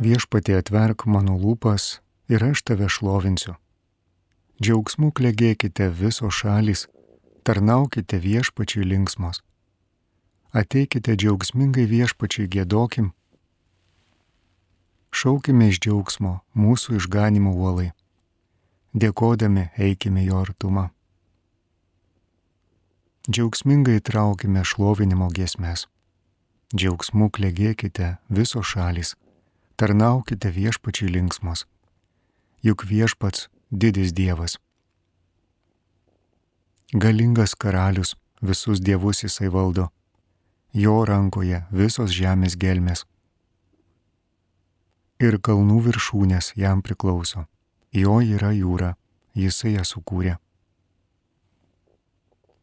Viešpatie, atverk mano lūpas ir aš tave šlovinsiu. Džiaugsmu klegėkite visos šalys, tarnaukite viešpačiui linksmos. Ateikite džiaugsmingai viešpačiui giedokim. Šaukime iš džiaugsmo mūsų išganimo uolai. Dėkodami eikime jo artumą. Džiaugsmingai traukime šlovinimo giesmes. Džiaugsmu klegėkite visos šalys, tarnaukite viešpačiui linksmos. Juk viešpats didis Dievas. Galingas karalius, visus dievus jisai valdo. Jo rankoje visos žemės gelmės. Ir kalnų viršūnės jam priklauso. Jo yra jūra, jisai ją sukūrė.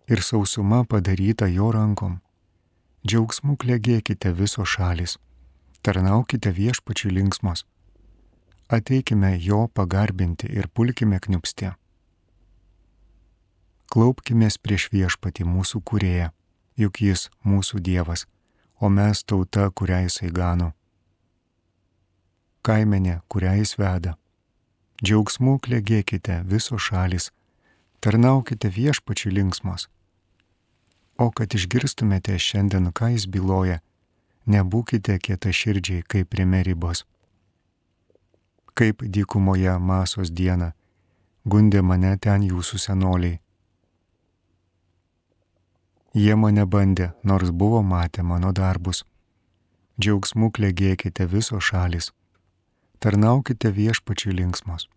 Ir sausuma padaryta jo rankom. Džiaugsmu klegėkite visos šalys, tarnaukite viešpačiui linksmos. Ateikime jo pagarbinti ir pulkime kniupsti. Klaupkimės prieš viešpatį mūsų kūrėją, juk jis mūsų Dievas, o mes tauta, kurią jisai gano. Kaimenė, kurią jis veda. Džiaugsmu klegėkite visos šalys, tarnaukite viešpačiui linksmos. O kad išgirstumėte šiandien, ką jis byloja, nebūkite kietaširdžiai kaip prie Meribos. Kaip dykumoje Masos dieną, gundė mane ten jūsų senoliai. Jie mane bandė, nors buvo matę mano darbus. Džiaugsmu klegėkite visos šalys, tarnaukite viešpačiui linksmos.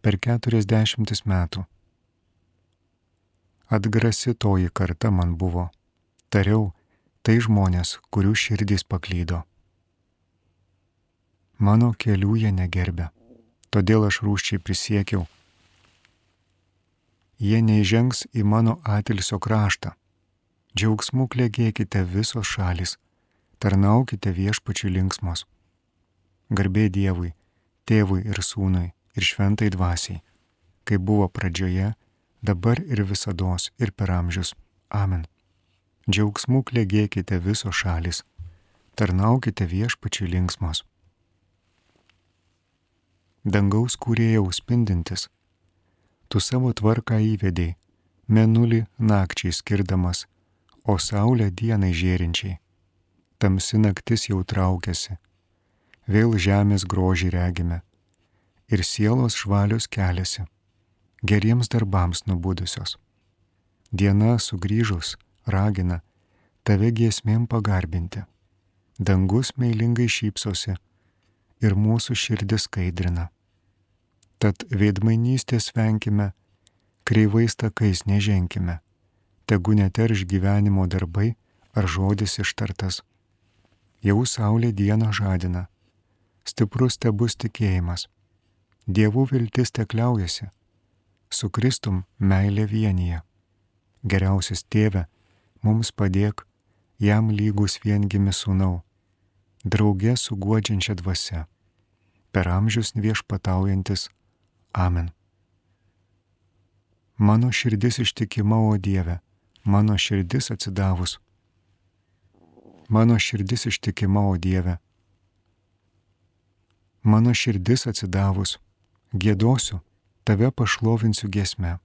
Per 40 metų. Atgrasi toji karta man buvo. Tariau, tai žmonės, kurių širdys paklydo. Mano kelių jie negerbė, todėl aš rūsčiai prisiekiau. Jie neįžengs į mano atilsio kraštą. Džiaugsmu klegėkite visos šalys, tarnaukite viešpačiui linksmos. Garbė Dievui, Tėvui ir Sūnui ir Šventai Dvasiai, kaip buvo pradžioje, dabar ir visados ir per amžius. Amen. Džiaugsmu klegėkite visos šalys, tarnaukite viešpačiui linksmos. Dangaus kūrėjau spindintis, tu savo tvarką įvedei, mėnulį nakčiai skirdamas, o saulę dienai žėrinčiai. Tamsi naktis jau traukiasi, vėl žemės grožį regime, ir sielos švalios keliasi, geriems darbams nubudusios. Diena sugrįžus ragina tave giesmėm pagarbinti. Dangus meilingai šypsosi ir mūsų širdis skaidrina. Tad veidmainystės venkime, kreivais takais neženkime, tegu neterš gyvenimo darbai ar žodis ištartas. Jau saulė dieną žadina, stiprus tebus tikėjimas, dievų viltis tekliaujasi, su Kristum meilė vienyje. Geriausias Tėve, mums padėk, jam lygus viengimi sūnau, drauge su guodžiančia dvasia, per amžius viešpataujantis. Amen. Mano širdis ištikima, o Dieve, mano širdis atsidavus. Mano širdis ištikima, o Dieve. Mano širdis atsidavus, giedosiu, tave pašlovinsiu giesme.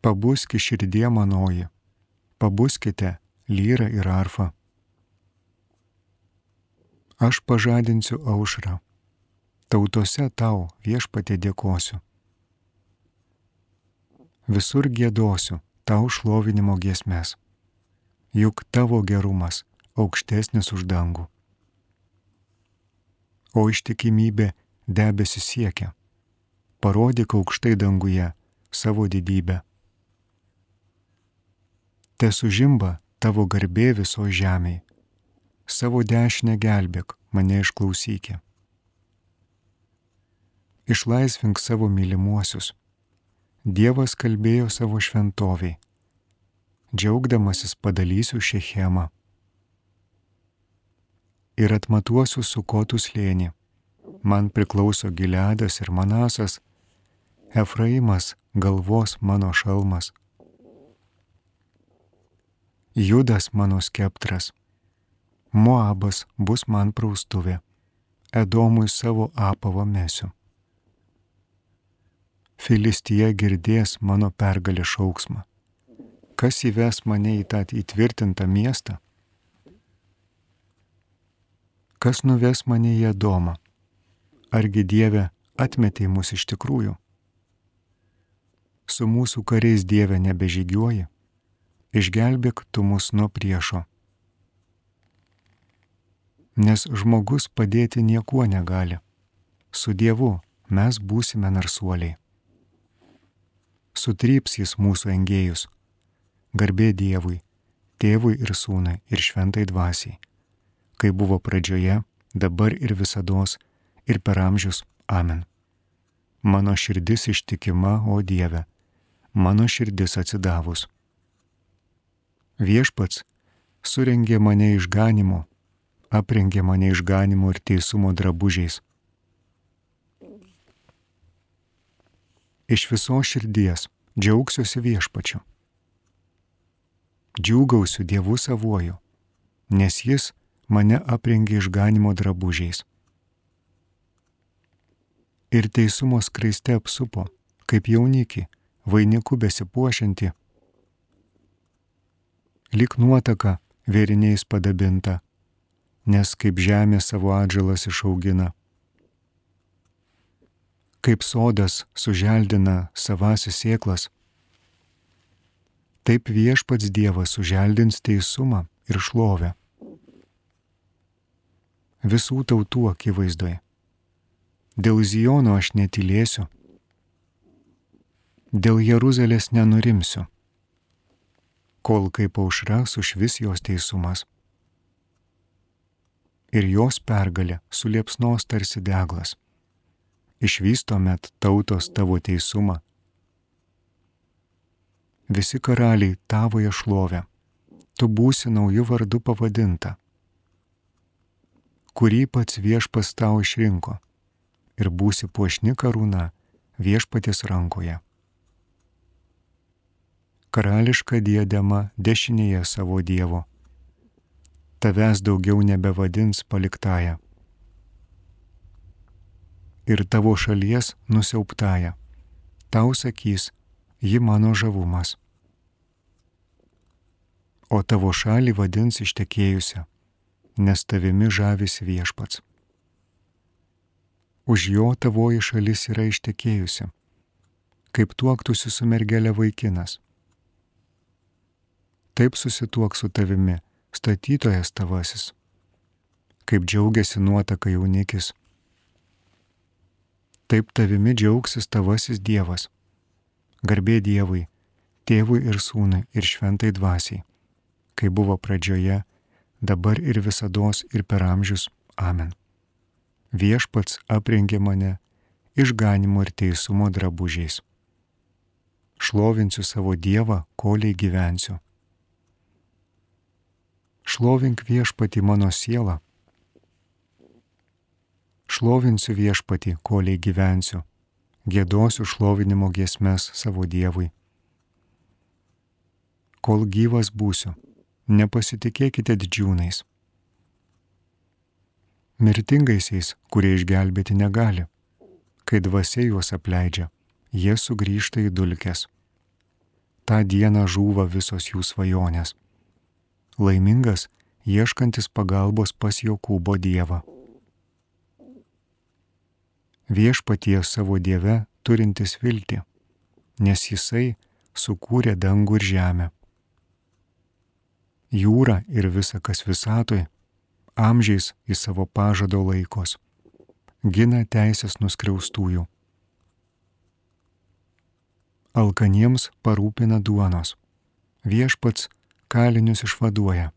Pabuski širdie manoji, pabuskite lyrą ir arfą. Aš pažadinsiu aušrą, tautose tau viešpatie dėkosiu. Visur giedosiu tau šlovinimo giesmes, juk tavo gerumas aukštesnis už dangų. O ištikimybė debesi siekia, parodyk aukštai danguje savo didybę. Te sužimba tavo garbė viso žemėj, savo dešinę gelbėk, mane išklausykė. Išlaisvink savo mylimuosius. Dievas kalbėjo savo šventoviai. Džiaugdamasis padalysiu Šechemą. Ir atmatuosiu Sukotų slėnį. Man priklauso Gileadas ir Manasas, Efraimas galvos mano šalmas. Judas mano skeptras. Moabas bus man praustuvė, Edomui savo apavą mesiu. Filistija girdės mano pergalės šauksmą. Kas įves mane į tą įtvirtintą miestą? Kas nuves mane į Edomą? Argi Dieve atmetei mus iš tikrųjų? Su mūsų kariais Dieve nebežygiuoji, išgelbėk tu mus nuo priešo. Nes žmogus padėti niekuo negali. Su Dievu mes būsime narsuoliai. Sutryps jis mūsų engėjus. Garbė Dievui, Tėvui ir Sūnui ir Šventai Dvasiai, kai buvo pradžioje, dabar ir visados, ir per amžius. Amen. Mano širdis ištikima, o Dieve, mano širdis atsidavus. Viešpats surengė mane išganimo, aprengė mane išganimo ir teisumo drabužiais. Iš visos širdies džiaugsiuosi Viešpačiu. Džiūgausiu Dievu savuoju, nes jis mane aprengė išganimo drabužiais. Ir teisumo skraiste apsupo, kaip jaunikį, vainiku besipuošianti, lyg nuotaka vėriniais padabinta, nes kaip žemė savo atžalas išaugina. Kaip sodas suželdina savąsias sėklas, taip Viešpats Dievas suželdins teisumą ir šlovę visų tautų akivaizdoje. Dėl Ziono aš netylėsiu, dėl Jeruzalės nenurimsiu, kol kaip aušra sušvis jos teisumas ir jos pergalė suliepsnos tarsi deglas. Išvys tuomet tautos tavo teisumą. Visi karaliai tavoje šlovę, tu būsi naujų vardu pavadinta, kurį pats Viešpats tau išrinko, ir būsi puošni karūna Viešpaties rankoje. Karališka diadema dešinėje savo Dievo, tavęs daugiau nebevadins paliktąja. Ir tavo šalies nusiauptąja, tau sakys, ji mano žavumas. O tavo šalį vadins ištekėjusią, nes tavimi žavisi Viešpats. Už jo tavoji šalis yra ištekėjusi, kaip tuoktųsi su mergelė vaikinas. Taip susituok su tavimi statytojas tavasis, kaip džiaugiasi nuotaka jaunikis. Taip tavimi džiaugsis tavasis Dievas. Garbė Dievui, Tėvui ir Sūnui ir Šventai Dvasiai, kai buvo pradžioje, dabar ir visados ir per amžius. Amen. Viešpats aprengė mane išganimo ir teisumo drabužiais. Šlovinsiu savo Dievą, koliai gyvensiu. Šlovink Viešpatį mano sielą. Šlovinsiu Viešpatį, koliai gyvensiu. Giedosiu šlovinimo giesmes savo Dievui. Kol gyvas būsiu, nepasitikėkite didžiūnais. Mirtingaisiais, kurie išgelbėti negali. Kai dvasia juos apleidžia, jie sugrįžta į dulkes. Ta diena žūva visos jų svajonės. Laimingas, ieškantis pagalbos pas Jokūbo Dievą. Viešpatie savo Dieve turintis viltį, nes jisai sukūrė dangų ir žemę. Jūrą ir visa kas visatoj, amžiais į savo pažado laikos, gina teisės nuskriaustųjų. Alkaniems parūpina duonos, Viešpats kalinius išvaduoja.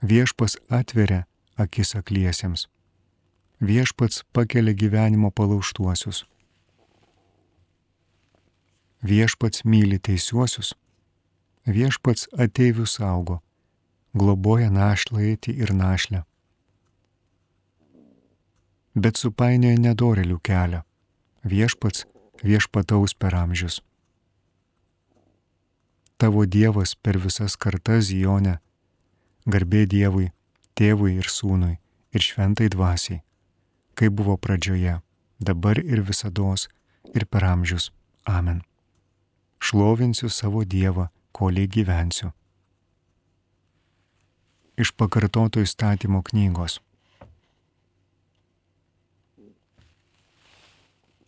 Viešpats atveria akis akliesiems, Viešpats pakelia gyvenimo palaužtuosius. Viešpats myli teisiuosius, Viešpats ateivių saugo, globoja našlaitį ir našlę. Bet supainioja nedorėlių kelią, Viešpats viešpataus per amžius. Tavo Dievas per visas kartas Zione Garbė Dievui, Tėvui ir Sūnui ir Šventai Dvasiai, kaip buvo pradžioje, dabar ir visados ir per amžius. Amen. Šlovinsiu savo Dievą, kolei gyvensiu. Iš pakartoto įstatymo knygos.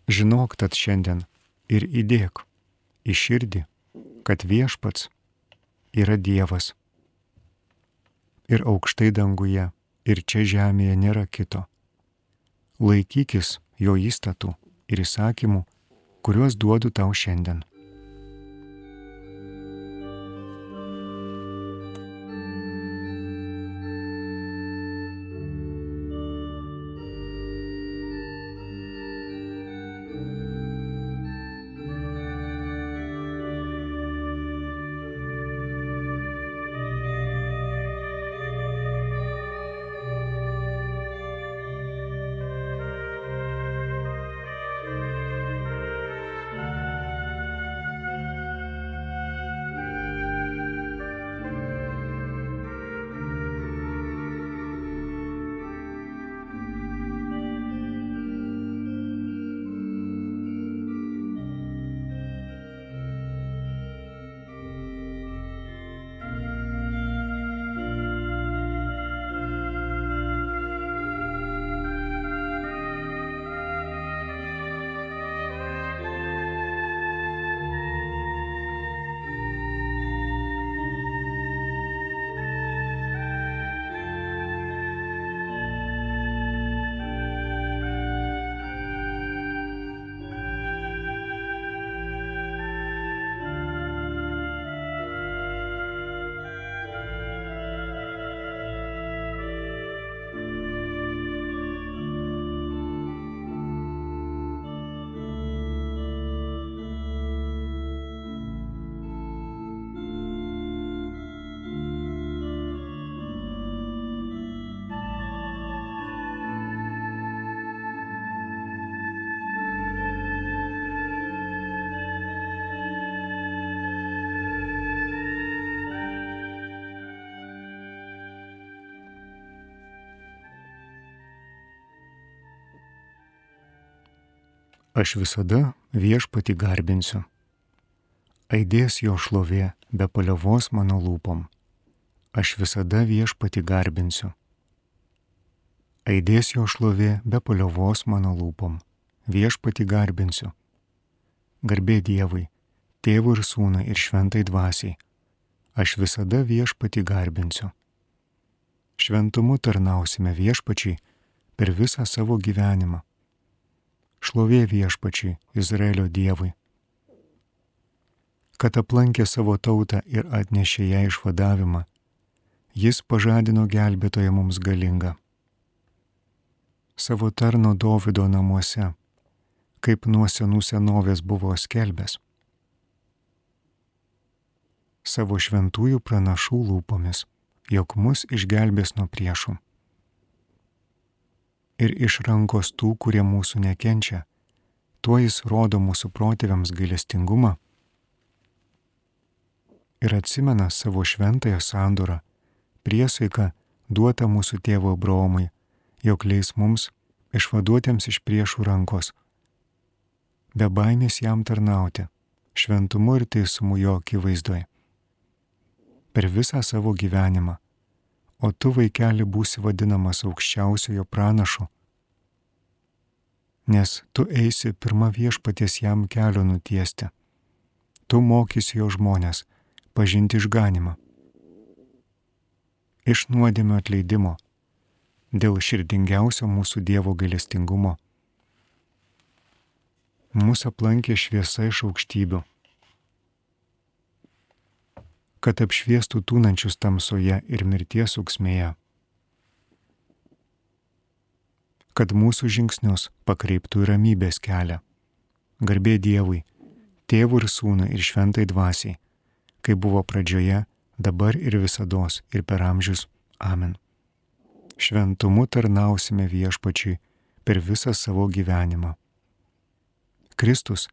Žinok tad šiandien ir įdėk į širdį, kad Viešpats yra Dievas. Ir aukštai danguje, ir čia žemėje nėra kito. Laikykis jo įstatų ir įsakymų, kuriuos duodu tau šiandien. Aš visada Viešpatį garbinsiu. Aidės jo šlovė be paliovos mano lūpom. Aš visada Viešpatį garbinsiu. Aidės jo šlovė be paliovos mano lūpom. Viešpatį garbinsiu. Garbė Dievui, Tėvui ir Sūnui ir Šventai Dvasiai. Aš visada Viešpatį garbinsiu. Šventumu tarnausime Viešpačiai per visą savo gyvenimą. Šlovė Viešpačiai, Izraelio Dievui, kad aplankė savo tautą ir atnešė ją išvadavimą. Jis pažadino gelbėtoją mums galingą. Savo tarno Dovydo namuose, kaip nuo senų senovės buvo skelbęs. Savo šventųjų pranašų lūpomis, jog mus išgelbės nuo priešų. Ir iš rankos tų, kurie mūsų nekenčia, tuo jis rodo mūsų protėviams gailestingumą ir atsimena savo šventąją sandorą, priesaiką duotą mūsų tėvo Abraomui, jog leis mums išvaduotiems iš priešų rankos, be baimės jam tarnauti, šventumu ir teisumu jo akivaizdoje. Per visą savo gyvenimą, o tu, vaikeli, būsi vadinamas aukščiausiojo pranašu, nes tu eisi pirma Viešpaties jam kelio nutiesti. Tu mokysi jo žmonės pažinti išganymą. Iš nuodėmio atleidimo, dėl širdingiausio mūsų Dievo gailestingumo. Mūsų aplankė šviesa iš aukštybių, kad apšviestų tūnančius tamsoje ir mirties auksmėje, kad mūsų žingsnius pakreiptų į ramybės kelią. Garbė Dievui, Tėvui ir Sūnui ir Šventai Dvasiai, kaip buvo pradžioje, dabar ir visados ir per amžius. Amen. Šventumu tarnausime Viešpačiui per visą savo gyvenimą. Kristus,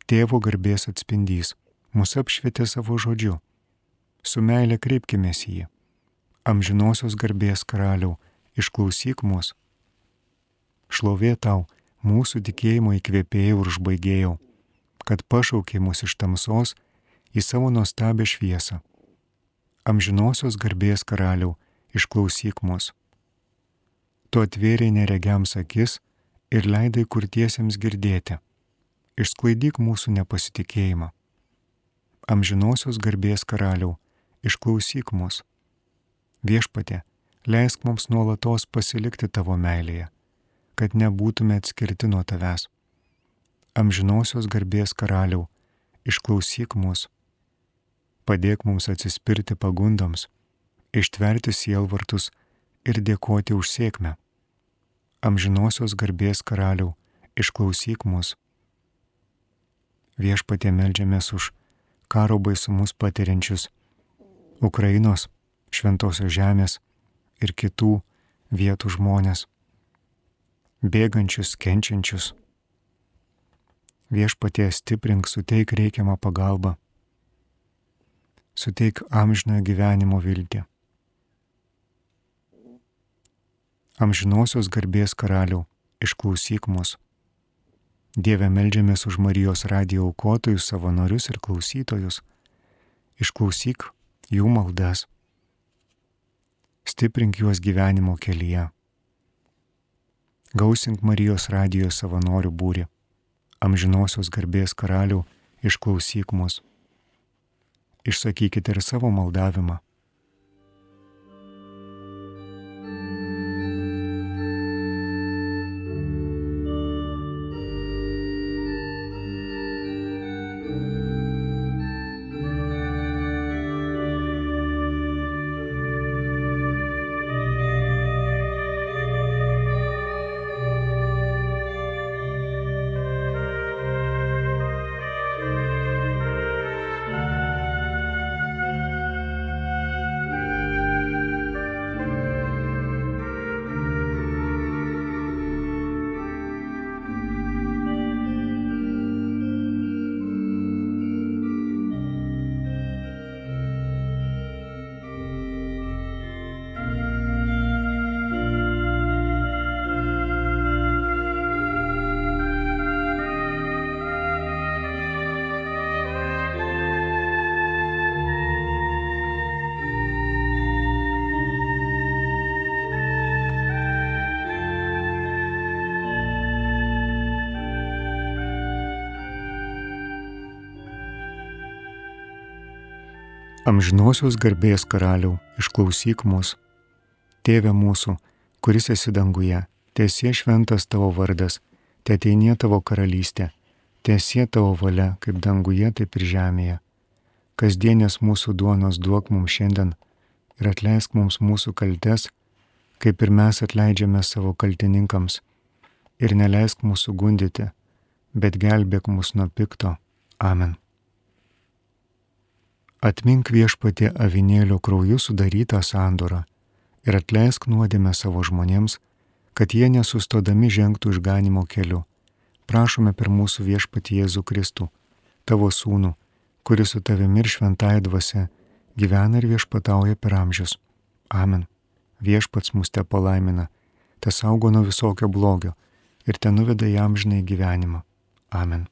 Tėvo garbės atspindys, mus apšvietė savo žodžiu. Su meile kreipkimės į jį. Amžinosios garbės karaliau, išklausyk mus. Šlovė tau, mūsų tikėjimo įkvėpėjau ir užbaigėjau, kad pašaukė mus iš tamsos į savo nuostabią šviesą. Amžinosios garbės karaliau, išklausyk mus. Tu atvėrei neregiams akis ir leidai kurtiesiems girdėti. Išsklaidyk mūsų nepasitikėjimą. Amžinosios garbės karaliau, išklausyk mus. Viešpatie, leisk mums nuolatos pasilikti tavo meilėje, kad nebūtume atskirti nuo tavęs. Amžinosios garbės karaliau, išklausyk mus. Padėk mums atsispirti pagundoms, ištverti sielvartus ir dėkoti už sėkmę. Amžinosios garbės karaliau, išklausyk mus. Viešpatie, meldžiamės už karo baisumus patiriančius Ukrainos, Šventosios žemės ir kitų vietų žmonės, bėgančius, kenčiančius. Viešpatie, stiprink, suteik reikiamą pagalbą, suteik amžinojo gyvenimo viltį. Amžinosios garbės karaliau, išklausyk mus. Dieve, meldžiamės už Marijos radijo aukotojus, savanorius ir klausytojus. Išklausyk jų maldas. Stiprink juos gyvenimo kelyje. Gausink Marijos radijo savanorių būrį. Amžinosios garbės karaliau, išklausyk mus. Išsakykite ir savo maldavimą. Amžinosios garbės karaliau, išklausyk mus. Tėve mūsų, kuris esi danguje, teesie šventas tavo vardas, teateinie tavo karalystė, teesie tavo valia, kaip danguje, taip ir žemėje. Kasdienės mūsų duonos duok mums šiandien ir atleisk mums mūsų kaltes, kaip ir mes atleidžiame savo kaltininkams. Ir neleisk mūsų gundyti, bet gelbėk mus nuo pikto. Amen. Atmink, Viešpatie, avinėlio krauju sudarytą sandorą ir atleisk nuodėmę savo žmonėms, kad jie nesustodami žengtų išganimo keliu. Prašome per mūsų Viešpatį Jėzų Kristų, tavo sūnų, kuris su tavimi ir šventąja dvasia gyvena ir viešpatauja per amžius. Amen. Viešpats mus te palaimina, te saugo nuo visokio blogio ir te nuveda į amžinąjį gyvenimą. Amen.